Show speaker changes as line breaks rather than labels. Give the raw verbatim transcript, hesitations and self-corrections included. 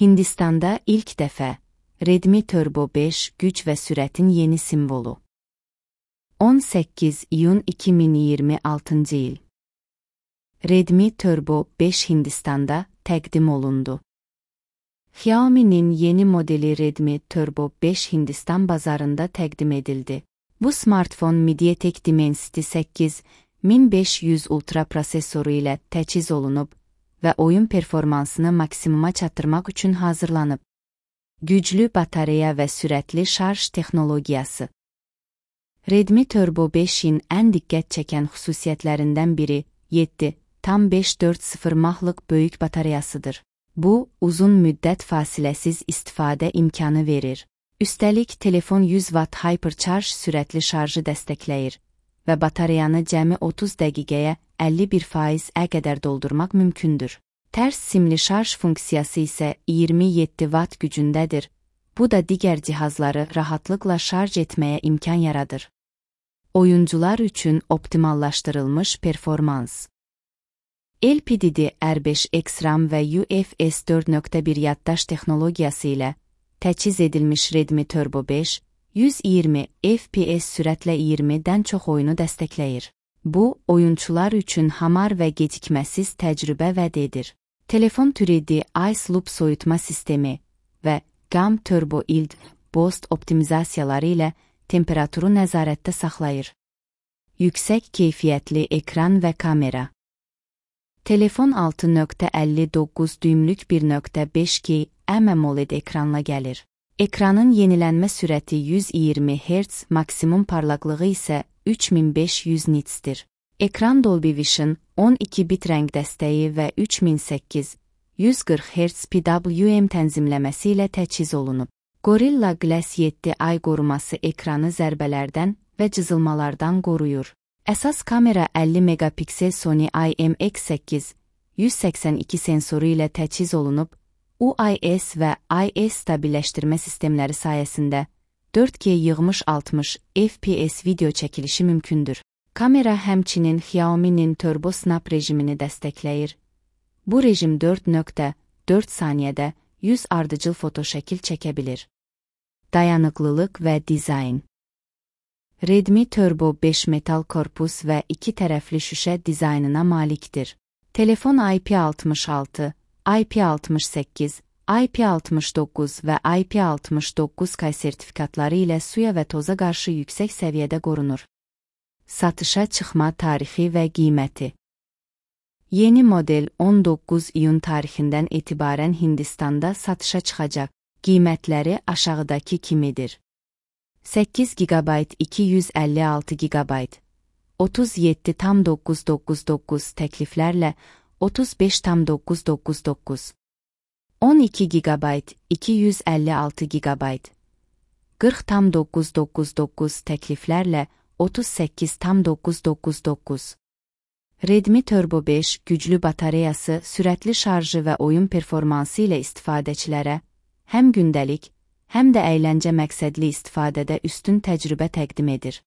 Hindistanda ilk dəfə Redmi Turbo beş güc və sürətin yeni simvolu. on səkkiz iyun iki min iyirmi altıncı il. Redmi Turbo beş Hindistanda təqdim olundu. Xiaomi'nin yeni modeli Redmi Turbo beş Hindistan bazarında təqdim edildi. Bu smartfon MediaTek Dimensity səkkiz min beş yüz Ultra prosesoru ilə təchiz olunub və oyun performansını maksimuma çatdırmaq üçün hazırlanıb. Güclü batareya və sürətli şarj texnologiyası. Redmi Turbo beşin ən diqqət çəkən xüsusiyyətlərindən biri yeddi tam beş dörd sıfır mahlıq böyük batareyasıdır. Bu, uzun müddət fasiləsiz istifadə imkanı verir. Üstəlik, telefon yüz watt Hypercharge sürətli şarjı dəstəkləyir və batareyanı cəmi otuz dəqiqəyə əlli bir faizə qədər doldurmaq mümkündür. Tərs simli şarj funksiyası isə iyirmi yeddi watt gücündədir. Bu da digər cihazları rahatlıqla şarj etməyə imkan yaradır. Oyuncular üçün optimallaşdırılmış performans. L P D D R beş X RAM və U F S dörd nöqtə bir yaddaş texnologiyası ilə təchiz edilmiş Redmi Turbo beş, yüz iyirmi F P S sürətlə iyirmidən çox oyunu dəstəkləyir. Bu, oyunçular üçün hamar və gecikməsiz təcrübə vəd edir. Telefon üç D Ice Loop soyutma sistemi və Gam Turbo Ild Boost optimizasiyaları ilə temperaturu nəzarətdə saxlayır. Yüksək keyfiyyətli ekran və kamera. Telefon altı nöqtə əlli doqquz düymlük bir nöqtə beş K AMOLED ekranla gəlir. Ekranın yenilənmə sürəti yüz iyirmi hertz, maksimum parlaqlığı isə üç min beş yüz nitsdir. Ekran Dolby Vision on iki bit rəng dəstəyi və üç min səkkiz yüz qırx hertz P W M tənzimləməsi ilə təchiz olunub. Gorilla Glass yeddi ay qoruması ekranı zərbələrdən və cızılmalardan qoruyur. Əsas kamera əlli megapiksel Sony I M X səkkiz yüz səksən iki sensoru ilə təchiz olunub, U I S və I S stabilləşdirmə sistemləri sayəsində dörd K yığmış altmış F P S video çəkilişi mümkündür. Kamera həmçinin Xiaomi'nin Turbo Snap rejimini dəstəkləyir. Bu rejim dörd nöqtə dörd saniyədə yüz ardıcıl fotoşəkil çəkə bilir. Dayanıqlılıq və dizayn. Redmi Turbo beş metal korpus və iki tərəfli şüşə dizaynına malikdir. Telefon I P altmış altı, I P altmış səkkiz, I P altmış doqquz və I P altmış doqquz K sertifikatları ilə suya və toza qarşı yüksək səviyyədə qorunur. Satışa çıxma tarixi və qiyməti. Yeni model on doqquz iyun tarixindən etibarən Hindistanda satışa çıxacaq. Qiymətləri aşağıdakı kimidir. səkkiz gigabayt iki yüz əlli altı gigabayt, otuz yeddi tam doqquz doqquz doqquz təkliflərlə otuz beş tam doqquz doqquz doqquz, on iki gigabayt iki yüz əlli altı gigabayt, qırx tam doqquz doqquz doqquz təkliflərlə otuz səkkiz tam doqquz doqquz doqquz. Redmi Turbo beş güclü batareyası, sürətli şarjı və oyun performansı ilə istifadəçilərə həm gündəlik, həm də əyləncə məqsədli istifadədə üstün təcrübə təqdim edir.